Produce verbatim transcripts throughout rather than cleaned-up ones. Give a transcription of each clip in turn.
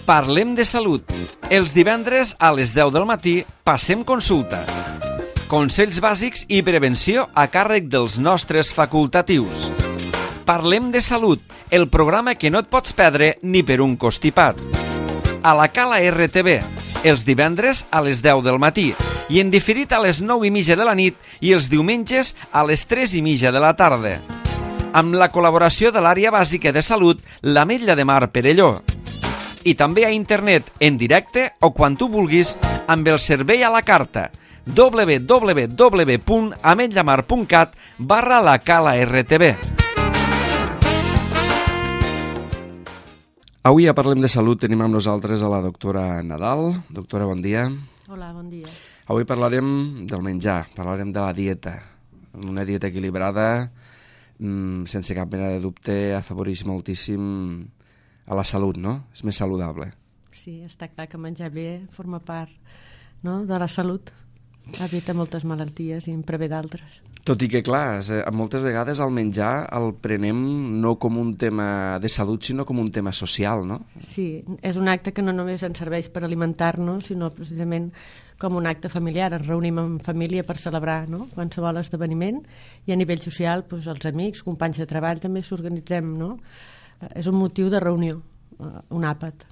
Parlem de salut. Els divendres a les deu del matí passem consulta. Consells bàsics i prevenció a càrrec dels nostres facultatius. Parlem de salut, el programa que no et pots perdre ni per un costipat. A la Cala R T V, els divendres a les deu del matí i en diferit a les nou i mitja de la nit i els diumenges a les tres i mitja de la tarda. Amb la col·laboració de l'àrea bàsica de salut, l'Ametlla de Mar Perelló. I també a internet, en directe o quan tu vulguis, amb el servei a la carta w w w punt ametllamar punt cat barra la Cala R T V. Avui a Parlem de Salut tenim amb nosaltres a la doctora Nadal. Doctora, bon dia. Hola, bon dia. Avui parlarem del menjar, parlarem de la dieta. Una dieta equilibrada, sense cap mena de dubte, afavoreix moltíssim a la salut, no? És més saludable. Sí, està clar que menjar bé forma part, no?, de la salut. Evita moltes malalties i en prevé d'altres. Tot i que, clar, moltes vegades el menjar el prenem no com un tema de salut, sinó com un tema social, no? Sí, és un acte que no només ens serveix per alimentar-nos, sinó precisament com un acte familiar. Ens reunim en família per celebrar, no?, qualsevol esdeveniment, i a nivell social, doncs, els amics, companys de treball, també s'organitzem, no? És un motiu de reunió, un àpat.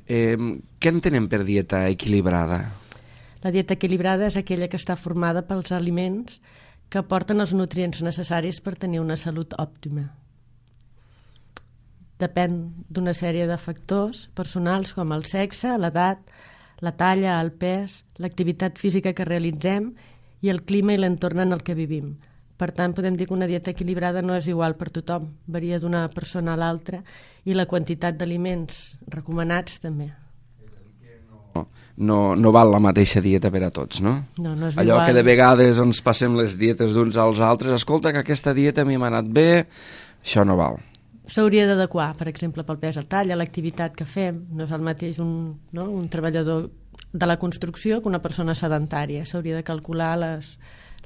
Eh, què entenem per dieta equilibrada? La dieta equilibrada és aquella que està formada pels aliments que aporten els nutrients necessaris per tenir una salut òptima. Depèn d'una sèrie de factors personals com el sexe, l'edat, la talla, el pes, l'activitat física que realitzem i el clima i l'entorn en el que vivim. Per tant, podem dir que una dieta equilibrada no és igual per tothom, varia d'una persona a l'altra, i la quantitat d'aliments recomanats també. No, no, no val la mateixa dieta per a tots, no? No, no és Allò igual. que de vegades ens passem les dietes d'uns als altres, escolta, que aquesta dieta a mi m'ha anat bé, això no val. S'hauria d'adequar, per exemple, pel pes, el tall, a l'activitat que fem. No és el mateix un, no, un treballador de la construcció que una persona sedentària. S'hauria de calcular les,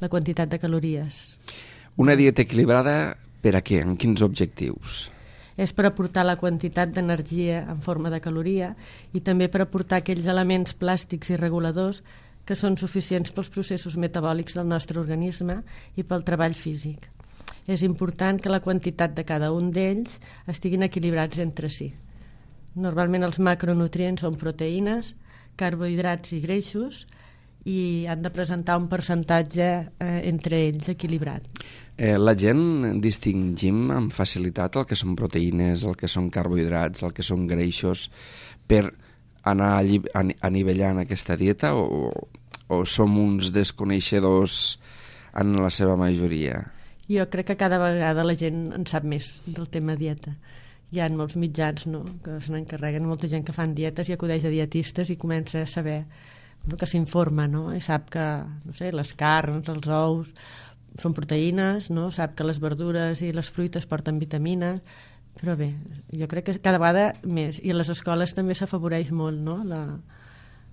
la quantitat de calories. Una dieta equilibrada per a què? En quins objectius? És per aportar la quantitat d'energia en forma de caloria i també per aportar aquells elements plàstics i reguladors que són suficients pels processos metabòlics del nostre organisme i pel treball físic. És important que la quantitat de cada un d'ells estiguin equilibrats entre si. Normalment els macronutrients són proteïnes, carbohidrats i greixos i han de presentar un percentatge eh, entre ells equilibrat. Eh, la gent distingim amb facilitat el que són proteïnes, el que són carbohidrats, el que són greixos, per anar anivellant aquesta dieta o, o som uns desconeixedors en la seva majoria? Jo crec que cada vegada la gent en sap més del tema dieta. Hi ha molts mitjans, no?, que se n'encarreguen, molta gent que fan dietes i acudeix a dietistes i comença a saber, no?, que s'informa, no?, i sap que, no sé, les carns, els ous són proteïnes, no?, sap que les verdures i les fruites porten vitamines, però bé, jo crec que cada vegada més, i a les escoles també s'afavoreix molt, no?, la...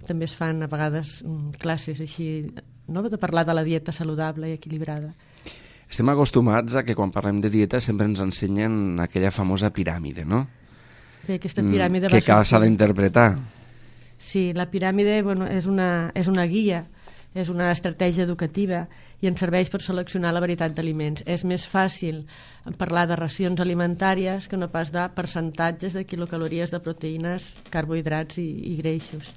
també es fan a vegades classes així, no?, de parlar de la dieta saludable i equilibrada. Estem acostumats a que quan parlem de dieta sempre ens ensenyen aquella famosa piràmide, no? Bé, aquesta piràmide que va s'ha d'interpretar. Sí, la piràmide, bueno, és una, és una guia, és una estratègia educativa i ens serveix per seleccionar la varietat d'aliments. És més fàcil parlar de racions alimentàries que no pas de percentatges de quilocalories de proteïnes, carbohidrats i, i greixos.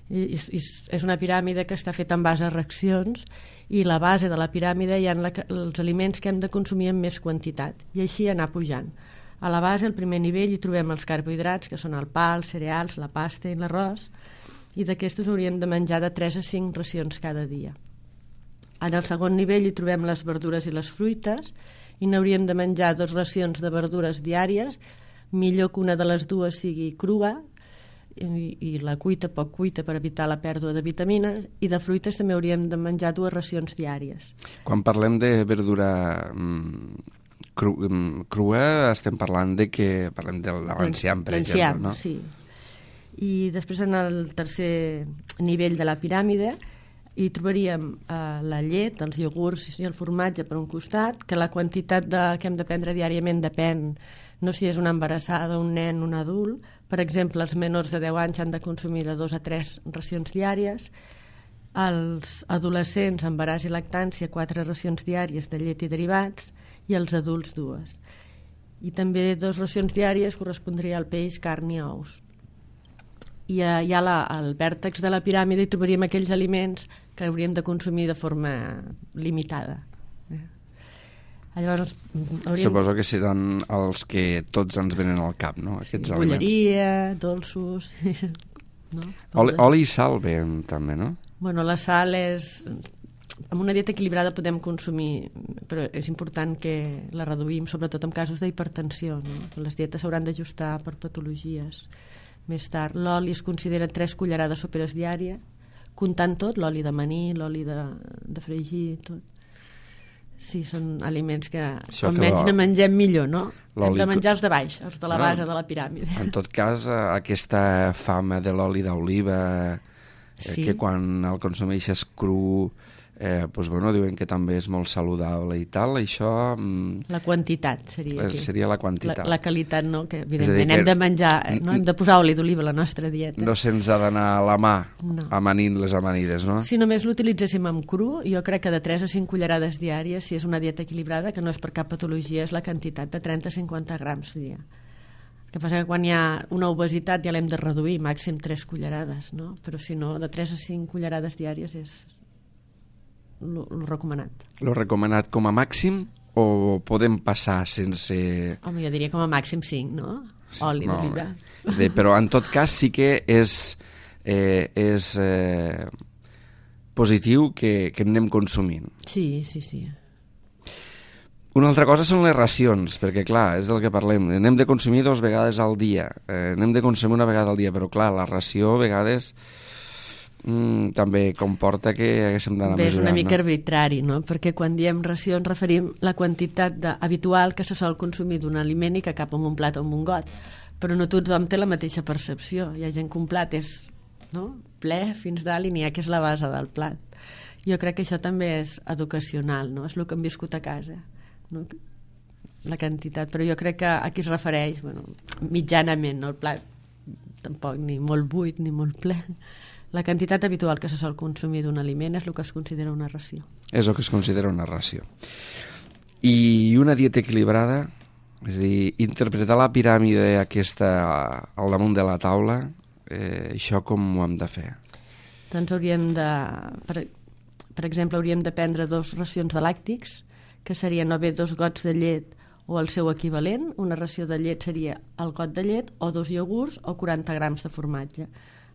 I, i, és una piràmide que està feta en base a reaccions i la base de la piràmide hi ha la, els aliments que hem de consumir en més quantitat i així anar pujant. A la base, al primer nivell, hi trobem els carbohidrats, que són el pa, els cereals, la pasta i l'arròs, i d'aquestos hauríem de menjar de tres a cinc racions cada dia. En el segon nivell hi trobem les verdures i les fruites, i n'hauríem de menjar dues racions de verdures diàries, millor que una de les dues sigui crua, i, i la cuita poc cuita per evitar la pèrdua de vitamines, i de fruites també hauríem de menjar dues racions diàries. Quan parlem de verdura cru, crua estem parlant de que parlem de l'enciam, per exemple, no? Sí. I després en el tercer nivell de la piràmide hi trobaríem eh, la llet, els iogurts i el formatge per un costat, que la quantitat de, que hem de prendre diàriament depèn no si és una embarassada, un nen, un adult. Per exemple, els menors de deu anys han de consumir de dos a tres racions diàries, els adolescents, embaràs i lactància, quatre racions diàries de llet i derivats, i els adults dues. I també dues racions diàries correspondria al peix, carn i ous. I a, ja la, al vèrtex de la piràmide hi trobaríem aquells aliments que hauríem de consumir de forma limitada. Llavors, hauríem... Suposo que seran els que tots ens venen al cap, no? Aquests sí, aliments. Bolleria, dolços... no? Oli, oli i sal ben, també, no? Bueno, la sal és... Amb una dieta equilibrada podem consumir, però és important que la reduïm, sobretot en casos d'hipertensió, no? Les dietes s'hauran d'ajustar per patologies. Més tard, l'oli es considera tres cullerades soperes diàries, comptant tot, l'oli de maní, l'oli de, de fregir, tot. Sí, són aliments que com menys ne mengem millor, no? Hem de menjar els de baix, els de la base de la piràmide. En tot cas, aquesta fama de l'oli d'oliva, sí. que quan el consumeixes cru, eh, doncs, bueno, diuen que també és molt saludable i tal, això... La quantitat seria aquí. Seria la quantitat. La, la qualitat, no? Que evidentment hem de menjar, no? Hem de posar oli d'oliva a la nostra dieta. No se'ns ha d'anar a la mà no. amanint les amanides, no? Si només l'utilitzéssim amb cru, jo crec que de tres a cinc cullerades diàries, si és una dieta equilibrada, que no és per cap patologia, és la quantitat de trenta a cinquanta grams dia. El que passa que quan hi ha una obesitat ja l'hem de reduir, màxim tres cullerades, no? Però si no, de tres a cinc cullerades diàries és lo, lo recomanat. Lo recomanat com a màxim o podem passar sense... Home, jo diria com a màxim cinc, no? Sí, oli d'oliva. És a dir, però en tot cas sí que és, eh, és eh, positiu que, que anem consumint. Sí, sí, sí. Una altra cosa són les racions, perquè clar, és del que parlem. Anem de consumir dues vegades al dia. Eh, anem de consumir una vegada al dia, però clar, la ració a vegades mm, també comporta que haguéssim d'anar mesurant. És una mica no? arbitrari, no? Perquè quan diem ració ens referim la quantitat de, habitual que se sol consumir d'un aliment i que cap en un plat o en un got. Però no tothom té la mateixa percepció. Hi ha gent que un plat és, no? ple fins dalt i n'hi ha que és la base del plat. Jo crec que això també és educacional, no? És el que hem viscut a casa. No? La quantitat, però jo crec que aquí es refereix, bueno, mitjanament, no? El plat tampoc ni molt buit ni molt ple. La quantitat habitual que se sol consumir d'un aliment és el que es considera una ració. És el que es considera una ració. I una dieta equilibrada, és a dir, interpretar la piràmide aquesta al damunt de la taula, eh, això com ho hem de fer? Doncs hauríem de, per, per exemple, hauríem de prendre dos racions de làctics, que serien o bé dos gots de llet o el seu equivalent. Una ració de llet seria el got de llet o dos iogurts o quaranta grams de formatge.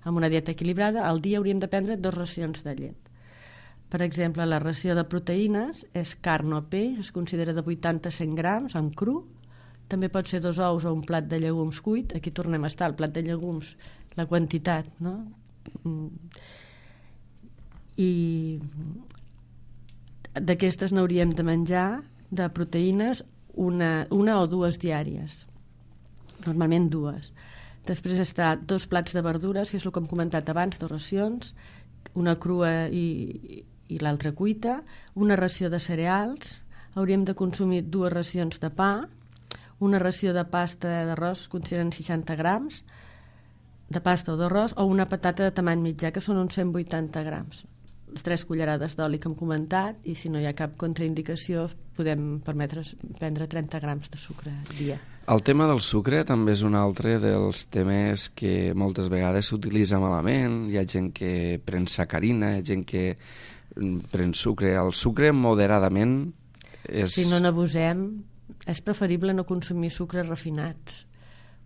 Amb una dieta equilibrada, al dia hauríem de prendre dos racions de llet. Per exemple, la ració de proteïnes és carn o peix, es considera de vuitanta a cent grams en cru. També pot ser dos ous o un plat de llegums cuit. Aquí tornem a estar, el plat de llegums, la quantitat, no? I d'aquestes n'hauríem de menjar de proteïnes una, una o dues diàries, normalment dues. Després està dos plats de verdures, que és el que hem comentat abans, dues racions, una crua i, i l'altra cuita, una ració de cereals, hauríem de consumir dues racions de pa, una ració de pasta d'arròs, consideren seixanta grams de pasta o d'arròs, o una patata de tamany mitjà, que són uns cent vuitanta grams. Les tres cullerades d'oli que hem comentat, i si no hi ha cap contraindicació podem permetre's prendre trenta grams de sucre al dia. El tema del sucre també és un altre dels temes que moltes vegades s'utilitza malament. Hi ha gent que pren sacarina, hi ha gent que pren sucre. El sucre moderadament és... Si no n'abusem, és preferible no consumir sucres refinats,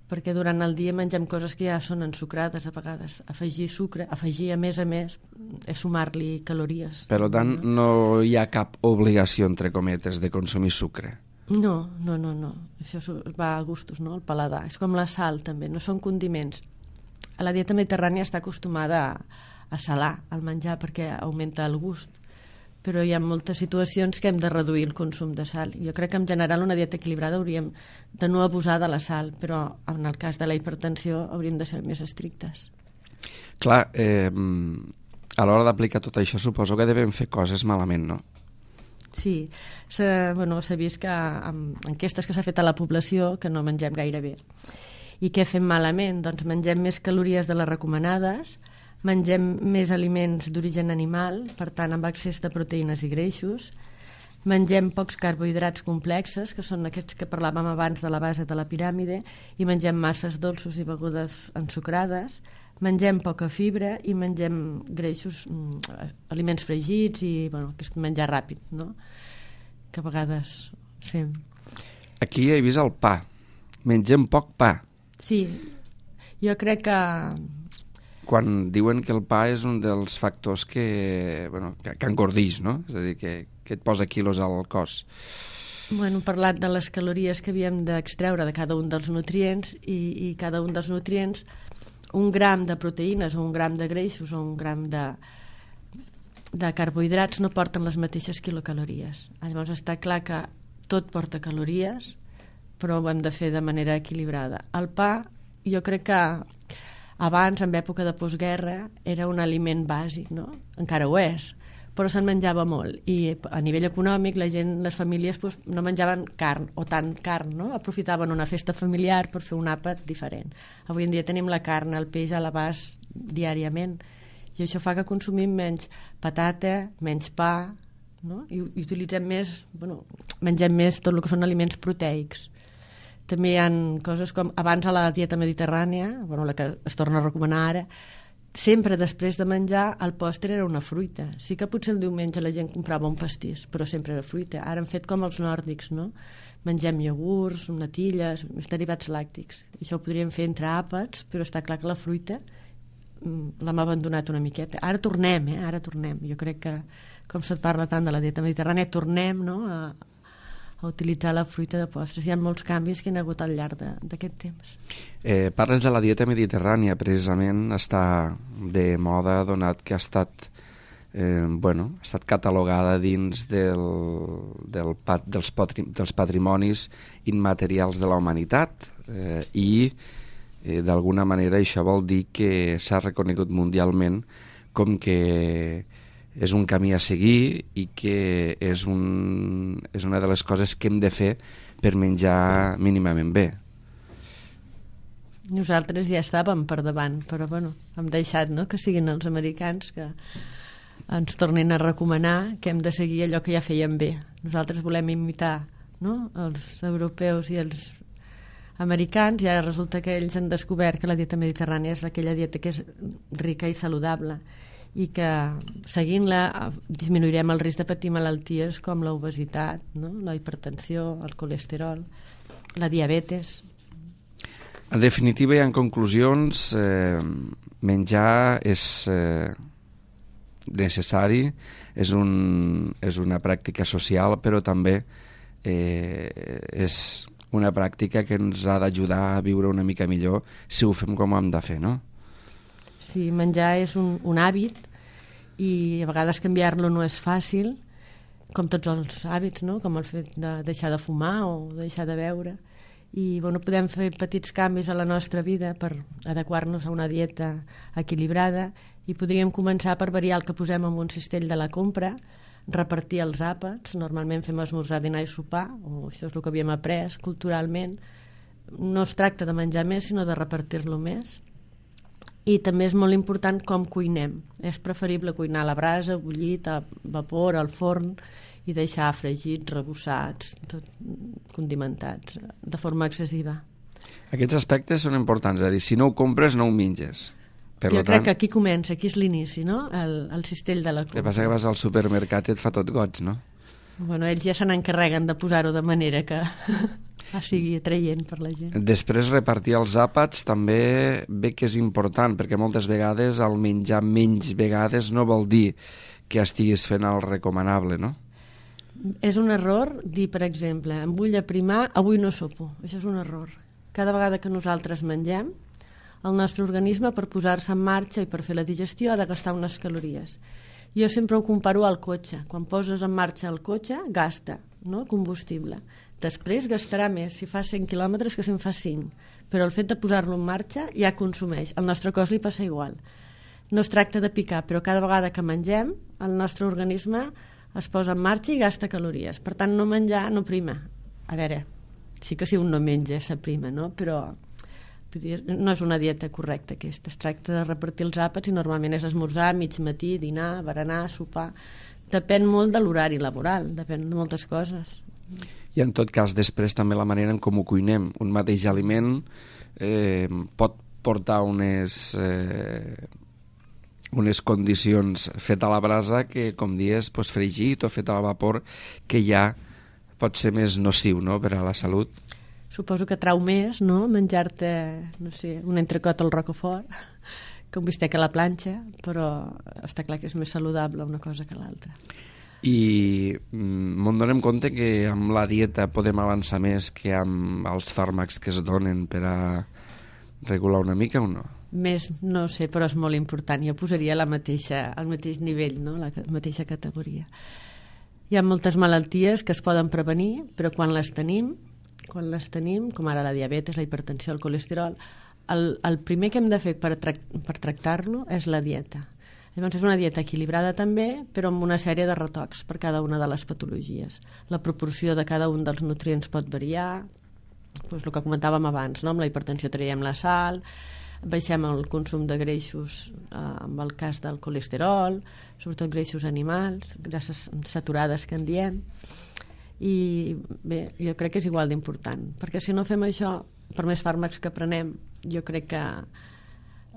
perquè durant el dia mengem coses que ja són ensucrades a vegades. Afegir sucre, afegir a més a més, és sumar-li calories. Per tant, no hi ha cap obligació, entre cometes, de consumir sucre. No, no, no, no. Això va a gustos, no? El paladar. És com la sal, també. No són condiments. A la dieta mediterrània està acostumada a, a salar el menjar perquè augmenta el gust. Però hi ha moltes situacions que hem de reduir el consum de sal. Jo crec que en general una dieta equilibrada hauríem de no abusar de la sal, però en el cas de la hipertensió hauríem de ser més estrictes. Clar, eh, a l'hora d'aplicar tot això suposo que devem fer coses malament, no? Sí, s'ha bueno, vist que amb enquestes que s'ha fet a la població que no mengem gaire bé. I què fem malament? Doncs mengem més calories de les recomanades, mengem més aliments d'origen animal, per tant amb excés de proteïnes i greixos, mengem pocs carbohidrats complexes, que són aquests que parlàvem abans de la base de la piràmide, i mengem masses dolços i begudes ensucrades, mengem poca fibra i mengem greixos, aliments fregits i bueno, aquest menjar ràpid, no? Que a vegades fem. Aquí he vist el pa. Mengem poc pa. Sí, jo crec que... Quan diuen que el pa és un dels factors que, bueno, que, que engordix, no? És a dir, que, que et posa quilos al cos. Bueno, hem parlat de les calories que havíem d'extreure de cada un dels nutrients i, i cada un dels nutrients, un gram de proteïnes o un gram de greixos o un gram de, de carbohidrats no porten les mateixes quilocalories. Llavors està clar que tot porta calories, però ho hem de fer de manera equilibrada. El pa, jo crec que abans, en època de postguerra, era un aliment bàsic, no? Encara ho és, però se'n menjava molt. I a nivell econòmic, la gent, les famílies doncs, no menjaven carn, o tant carn, no? Aprofitaven una festa familiar per fer un àpat diferent. Avui en dia tenim la carn, el peix a l'abast diàriament, i això fa que consumim menys patata, menys pa, no? I, i utilitzem més, bueno, mengem més tot el que són aliments proteics. També hi ha coses com, abans a la dieta mediterrània, bueno, la que es torna a recomanar ara, sempre després de menjar el pòster era una fruita. Sí que potser el diumenge la gent comprava un pastís, però sempre era fruita. Ara han fet com els nòrdics, no? Mengem iogurts, natilles, derivats làctics. Això ho podríem fer entre àpats, però està clar que la fruita l'hem abandonat una miqueta. Ara tornem, eh? Ara tornem. Jo crec que, com se't parla tant de la dieta mediterrània, tornem, no?, a, a utilitzar la fruita de postres. Hi ha molts canvis que hi ha hagut al llarg d'aquest temps. Eh, parles de la dieta mediterrània, precisament està de moda donat que ha estat, eh, bueno, ha estat catalogada dins del, del pat, dels, patri, dels patrimonis immaterials de la humanitat eh, i eh, d'alguna manera això vol dir que s'ha reconegut mundialment com que és un camí a seguir i que és, un, és una de les coses que hem de fer per menjar mínimament bé. Nosaltres ja estàvem per davant, però bueno, hem deixat, no?, que siguin els americans que ens tornin a recomanar que hem de seguir allò que ja feien bé. Nosaltres volem imitar, no?, els europeus i els americans, i ara resulta que ells han descobert que la dieta mediterrània és aquella dieta que és rica i saludable i que seguint-la disminuirem el risc de patir malalties com l'obesitat, no?, la hipertensió, el colesterol, la diabetes. En definitiva i en conclusions, eh, menjar és eh, necessari, és, un, és una pràctica social, però també eh, és una pràctica que ens ha d'ajudar a viure una mica millor si ho fem com ho hem de fer, no? Sí, menjar és un, un hàbit i a vegades canviar-lo no és fàcil, com tots els hàbits, no?, com el fet de deixar de fumar o deixar de beure. I bueno, podem fer petits canvis a la nostra vida per adequar-nos a una dieta equilibrada i podríem començar per variar el que posem en un cistell de la compra, repartir els àpats, normalment fem esmorzar, dinar i sopar, o això és el que havíem après culturalment. No es tracta de menjar més, sinó de repartir-lo més. I també és molt important com cuinem. És preferible cuinar a la brasa, bullit, a vapor, al forn, i deixar fregits, rebossats, tot, condimentats, de forma excessiva. Aquests aspectes són importants, és a dir, si no ho compres no ho menges. Per jo tant, crec que aquí comença, aquí és l'inici, no?, el, el cistell de la compra. El que passa que vas al supermercat i et fa tot goig, no? Bueno, ells ja se n'encarreguen de posar-ho de manera que sigui atraient per la gent. Després repartir els àpats també bé que és important, perquè moltes vegades el menjar menys vegades no vol dir que estiguis fent el recomanable, no? És un error dir, per exemple, em vull aprimar, avui no sopo. Això és un error. Cada vegada que nosaltres mengem, el nostre organisme, per posar-se en marxa i per fer la digestió, ha de gastar unes calories. Jo sempre ho comparo al cotxe. Quan poses en marxa el cotxe, gasta, no?, combustible. Després gastarà més si fa cent quilòmetres que si en fa cinc. Però el fet de posar-lo en marxa ja consumeix. Al nostre cos li passa igual. No es tracta de picar, però cada vegada que mengem, el nostre organisme es posa en marxa i gasta calories. Per tant, no menjar no prima. A veure, sí que si un no menja s'aprima, no? Però no és una dieta correcta aquesta. Es tracta de repartir els àpats i normalment és esmorzar, mig matí, dinar, berenar, sopar. Depèn molt de l'horari laboral, depèn de moltes coses. I en tot cas després també la manera en com ho cuinem. Un mateix aliment eh, pot portar unes, eh, unes condicions fet a la brasa que, com dius, pues, fregit o fet a la vapor, que ja pot ser més nociu, no?, per a la salut. Suposo que trau més, no?, menjar-te, no sé, un entrecot al Rocafort, que un bistec a la planxa, però està clar que és més saludable una cosa que l'altra. I m'en donem compte que amb la dieta podem avançar més que amb els fàrmacs que es donen per a regular una mica o no? Més, no sé, però és molt important. Jo posaria la mateixa, al mateix nivell, no?, la mateixa categoria. Hi ha moltes malalties que es poden prevenir, però quan les tenim, quan les tenim, com ara la diabetes, la hipertensió, el colesterol, el, el primer que hem de fer per, tra per tractar-lo és la dieta. Llavors és una dieta equilibrada també, però amb una sèrie de retocs per cada una de les patologies. La proporció de cada un dels nutrients pot variar, doncs el que comentàvem abans, no? Amb la hipertensió traiem la sal, baixem el consum de greixos eh, amb el cas del colesterol, sobretot greixos animals, grasses saturades que en diem, i bé, jo crec que és igual d'important, perquè si no fem això, per més fàrmacs que prenem, jo crec que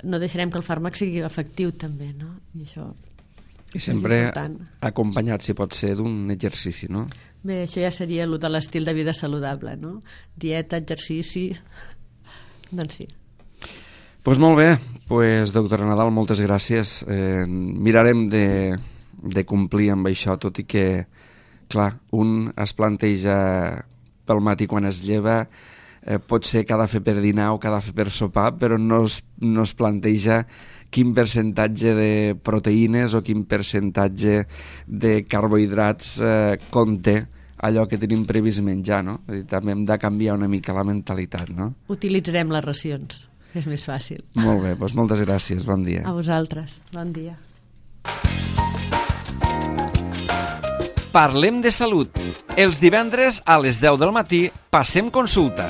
no deixarem que el fàrmac sigui efectiu també, no? I això I sempre acompanyat, si pot ser, d'un exercici, no? Bé, això ja seria el de l'estil de vida saludable, no? Dieta, exercici, doncs sí. Doncs pues molt bé, pues, doctora Nadal, moltes gràcies. Eh, mirarem de, de complir amb això, tot i que, clar, un es planteja pel matí quan es lleva, eh, pot ser que ha de fer per dinar o que ha de fer per sopar, però no es, no es planteja quin percentatge de proteïnes o quin percentatge de carbohidrats eh, conté allò que tenim previst menjar, no? També hem de canviar una mica la mentalitat, no? Utilitzarem les racions. És més fàcil. Molt bé, doncs moltes gràcies, bon dia. A vosaltres, bon dia. Parlem de salut. Els divendres a les deu del matí passem consulta.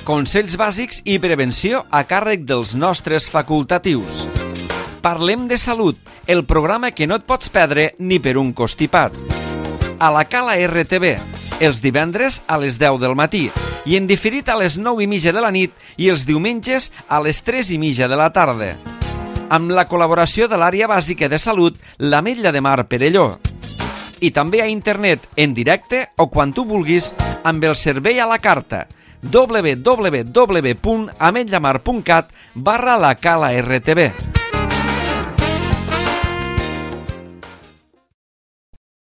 Consells bàsics i prevenció a càrrec dels nostres facultatius. Parlem de salut, el programa que no et pots perdre ni per un costipat. A la Cala R T V, els divendres a les deu del matí i en diferit a les nou i mitja de la nit i els diumenges a les tres i mitja de la tarda. Amb la col·laboració de l'àrea bàsica de salut, l'Ametlla de Mar Perelló. I també a internet, en directe o quan tu vulguis, amb el servei a la carta w w w punt ametllamar punt cat barra la Cala R T V.